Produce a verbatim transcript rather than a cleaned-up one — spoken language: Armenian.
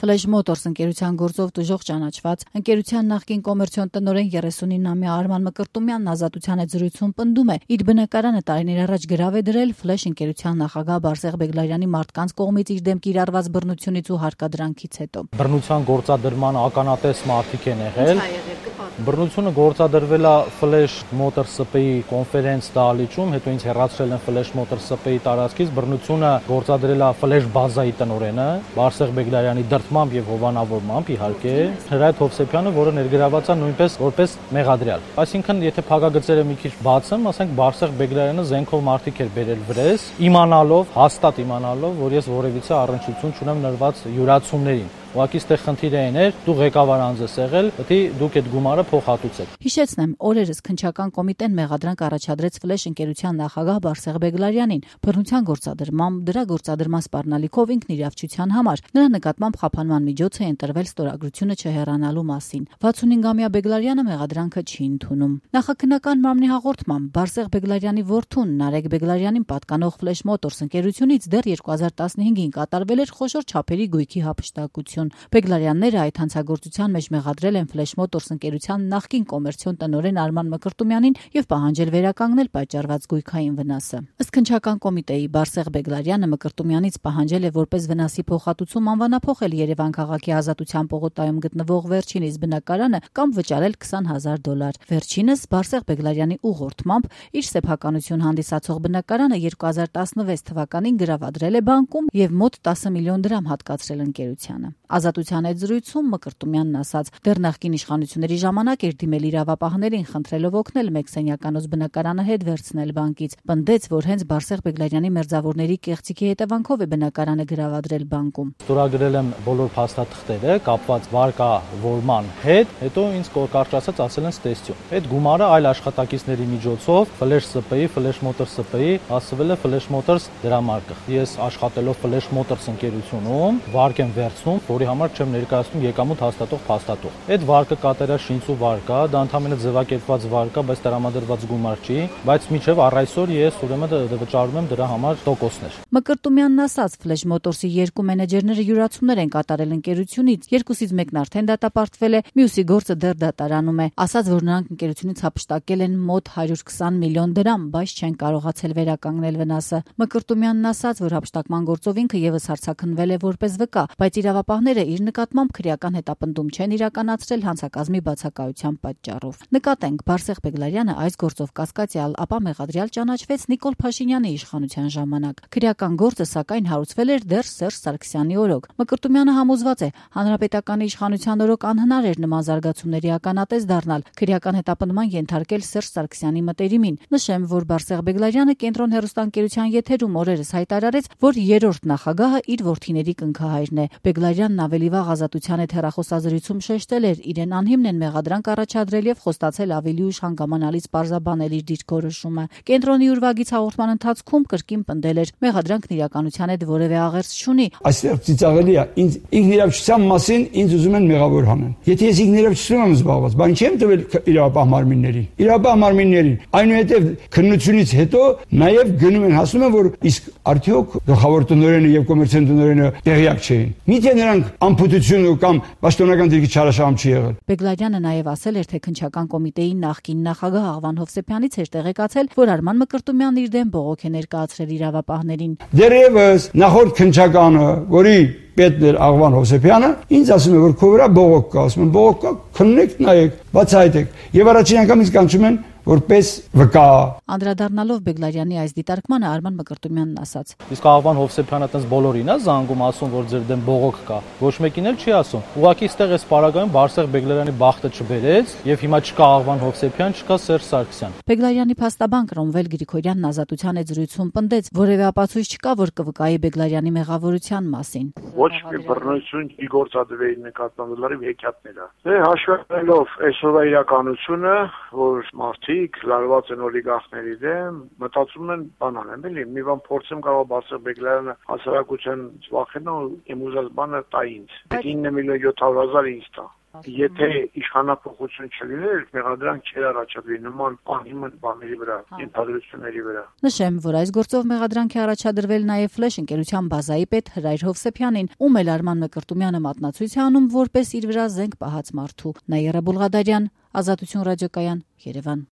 Flash Motors ընկերության գործով տուժող ճանաչված ընկերության նախկին կոմերցիոն տնօրեն երեսունինամյա Արման Մկրտումյանն ազատության հետ զրույցում պնդում է, իր բնակարանը տարիներ առաջ գրավ է դրել Flash ընկերության նախագահ Բարսեղ Բեգլարյանի մարդկանց կողմից իր դեմ կիրառված բռնությունից ու հարկադրանքից հետո։ Բռնության գործադրման ականատես մարդիկ են եղել։ Բռնությունը գործադրվել է Flash Motors ՍՊ-ի կոնֆերենց դահլիճում, հետո ինձ հեռացրել են Flash Motors ՍՊ-ի տարածքից, բռնությունը գործադրել է Flash բազայի տնօրենը Բարսեղ Բեգլարյանի դրդմամբ եւ հովանավորմամբ, իհարկե, Հրայր Հովսեփյանը, որը ներգրաված է նույնպես որպես մեղադրյալ։ Այսինքն, եթե փակագծերը մի քիչ բացեմ, ասենք Բարսեղ Բեգլարյանը զենքով մարդիկ էր բերել վրես, իմանալով, հաստատ իմանալով, որ ես որևիցե առնչություն չունեմ նրված յուրացումներին։ Ուղղակի ստեղ խնդիրը այն էր, դու ղեկավար անձ ես եղել, պետք է դուք այդ գումարը փոխհատուցեք։ Հիշեցնեմ, օրերս քննչական կոմիտեն մեղադրանք առաջադրեց Flash ընկերության նախագահ Բարսեղ Բեգլարյանին բռնության գործադրմամբ, դրա գործադրման սպառնալիքով ինքնիրավչության համար։ Նրա նկատմամբ խափանման միջոց է ընտրվել ստորագրությունը չհեռանալու մասին։ վաթսունհինգամյա Բեգլարյանը մեղադրանքը չի ընդունում։ Նախաքննական մարմնի հաղորդմամբ Բարսեղ Բեգլարյանի որդուն Նարեկ Բեգլարյանին պատկանող Flash Motors ընկերությունից դեռ երկու հազար տասնհինգին կատարվել էր խոշոր չափերի գույքի հափշտակություն։ Բեգլարյանները այդ հանցագործության մեջ մեղադրել են Flash Motors ընկերության նախկին կոմերցիոն տնօրեն Արման Մկրտումյանին եւ պահանջել վերականգնել պատճառված գույքային վնասը։ Ըստ քննչական կոմիտեի Բարսեղ Բեգլարյանը Մկրտումյանից պահանջել է որպես վնասի փոխհատուցում անվանափոխել Երևան քաղաքի Ազատության պողոտայում գտնվող վերջինիս բնակարանը կամ վճարել քսան հազար դոլար։ Վերջինս Բարսեղ Բեգլարյանի ուղղորդմամբ իր սեփականություն հանդիսացող բնակարանը երկու հազար տասնվեց թվականին գրավադրել է բանկում եւ մոտ տասը միլիոն դրամ հատկացրել ընկերությանը։ Ազատության հետ զրույցում Մկրտումյանն ասաց, դեռ նախկին իշխանությունների ժամանակ էր դիմել իրավապահներին, խնդրելով օգնել մեքսենյականոց բնակարանը հետ վերցնել բանկից։ Պնդեց, որ հենց Բարսեղ Բեգլարյանի մերձավորների կեղծիքի հետևանքով է բնակարանը գրավադրել բանկում։ Ստորագրել եմ բոլոր փաստաթղթերը կապված վարկավորման հետ, հետո ինձ կարճ ասած ասել են ստեսյուն։ Այդ գումարը այլ աշխատակիցների միջոցով Flash ՍՊ-ի, Flash Motors ՍՊ-ի հասցվել է Flash Motors դրամարկղ։ Ես աշխատելով Flash Motors ընկերությունում վարկ եմ վերցնում, որի համար չեմ ներկայացնում եկամուտ հաստատող փաստաթուղթ։ Այդ վարկը կատարյալ շինծու վարկ է, դա ընդհանրապես ձևակերպված վարկ է, բայց տրամադրված գումար չի, բայց մինչև առ այսօր ես ուրեմն վճարում եմ դրա համար տոկոսներ։ Մկրտումյանն ասաց, Flash Motors-ի երկու մենեջերները յուրացումներ են կատարել ընկերությունից, երկուսից մեկն արդեն դատապարտվել է, մյուսի գործը դեռ դատարանում է։ Ասաց, որ նրանք ընկերությունից հափշտակել են մոտ հարյուր քսան միլիոն դրամ, բայց չեն կարողացել վերականգնել վնասը։ Մկրտումյանն ասաց, որ հափշտակման գործով ինքը եւս հարձակնվել է որպես վկա, բայց իրավապահները իր նկատմամբ քրեական հետապնդում չեն իրականացրել հանցակազմի բացակայության պատճառով։ Նկատենք, Բարսեղ Բեգլարյանը այս գործով կասկածյալ, ապա մեղադրյալ ճանաչվեց Նիկոլ Փաշինյանի իշխանության ժամանակ։ Քրեական գործը սակայն հարուցվել էր դեռ Սերժ Սարգսյանի օրոք։ Մկրտումյանը համոզված է, հանրապետականի իշխանության օրոք անհնար էր նման զարգացումների ականատես դառնալ, քրեական հետապնդման ենթարկել Սերժ Սարգսյանի մտերիմին։ Նշեմ, որ Բարսեղ Բեգլարյանը Կենտրոն հեռուստաընկերության եթերում օրերս հայտարարեց, որ երրորդ նախագահը իր որդիների կնքահայրն է։ Բեգլարյանն ավելի վաղ Ազատության հետ հեռախոսազրույցում շեշտել էր, իրեն անհիմն են մեղադրանք առաջադրել եւ խոստացել ավելի ուշ հանգամանալից պարզաբանել իր դիրքորոշումը։ Կենտրոնի ուրվագից հաղորդման ընթացքում կրկին պնդել էր, մեղադրանքն իրականության հետ որևէ աղերս չունի։ Այստեղ ծիծաղելի է, ինձ ինքնիրավչության մասին ինձ ուզում են մեղավոր հանեն։ Եթե ես ինքնիրավչություն եմ զբաղված, բան չեմ տվել իրավապահ մարմիններին։ Իրավապահ մարմիններին այնուհետև քննությունից հետո նաեւ գնում են հասնում են, որ իսկ արդյոք գլխավոր տնօրենը եւ կոմերցիոն տնօրենը տեղյակ չէին։ Միթե նրանք անփութություն կամ պաշտոնական դիրքի չարաշահում չի եղել։ Բեգլարյանը նաև ասել էր, թե քննչական կոմիտեի նախկին նախագահ Աղվան Հովսեփյանից էր տեղեկացել, որ Արման Մկրտումյանն իր դեմ բողոք է ներկայացրել իրավապահներին։ Դեռևս նախորդ քննչականը, որի պետն էր Աղվան Հովսեփյանը, ինձ ասում է, որ քո վրա բողոք կա, ասում եմ, բողոք կա, քննեք, նայեք, բացահայտեք։ Եվ առաջին անգամ ինձ կանչում են որպես վկա։ Անդրադառնալով Բեգլարյանի այս դիտարկմանը Արման Մկրտումյանն ասաց. Իսկ Աղվան Հովսեփյանը այտենց բոլորին է զանգում, ասում, որ ձեր դեմ բողոք կա։ Ոչ մեկին էլ չի ասում։ Ուղղակի այստեղ էս պարագայում Բարսեղ Բեգլարյանի բախտը չբերեց, եւ հիմա չկա Աղվան Հովսեփյան, չկա Սերժ Սարգսյան։ Բեգլարյանի փաստաբան Ռոմվել Գրիգորյանն Ազատության հետ զրույցում պնդեց, որևէ ապացույց չկա, որ կվկայի Բեգլարյանի մեղավորության մասին։ Ոչ մի բռնություն չի գործադրվել նկատմամբ լրիվ հեքիաթներ է։ Դե հաշվելով այսօրվա իրականությունը, որ մարդիկ լարված են օլիգարխների դեմ, մտածում են բան անեն, էլի, մի բան փորձեմ կարող Բարսեղ Բեգլարյանը հասարակության վախենա ու իմ ուզած բանը տա ինձ։ ինը միլիոն յոթ հարյուր հազար ինձ տա։ Եթե իշխանապողություն չլիներ, մեղադրանք չէր առաջադրի նման անհիմն բաների վրա, ենթադրությունների վրա։ Նշեմ, որ այս գործով մեղադրանք է առաջադրվել նաև Ֆլեշ ընկերության բազայի պետ Հրայր Հովսեփյանին, ում էլ Արման Մկրտումյանը մատնացույց է անում որպես իր վրա զենք պահած մարդու։ Նաիրա Բուլղադարյան, Ազատություն ռադիոկայան, Երևան։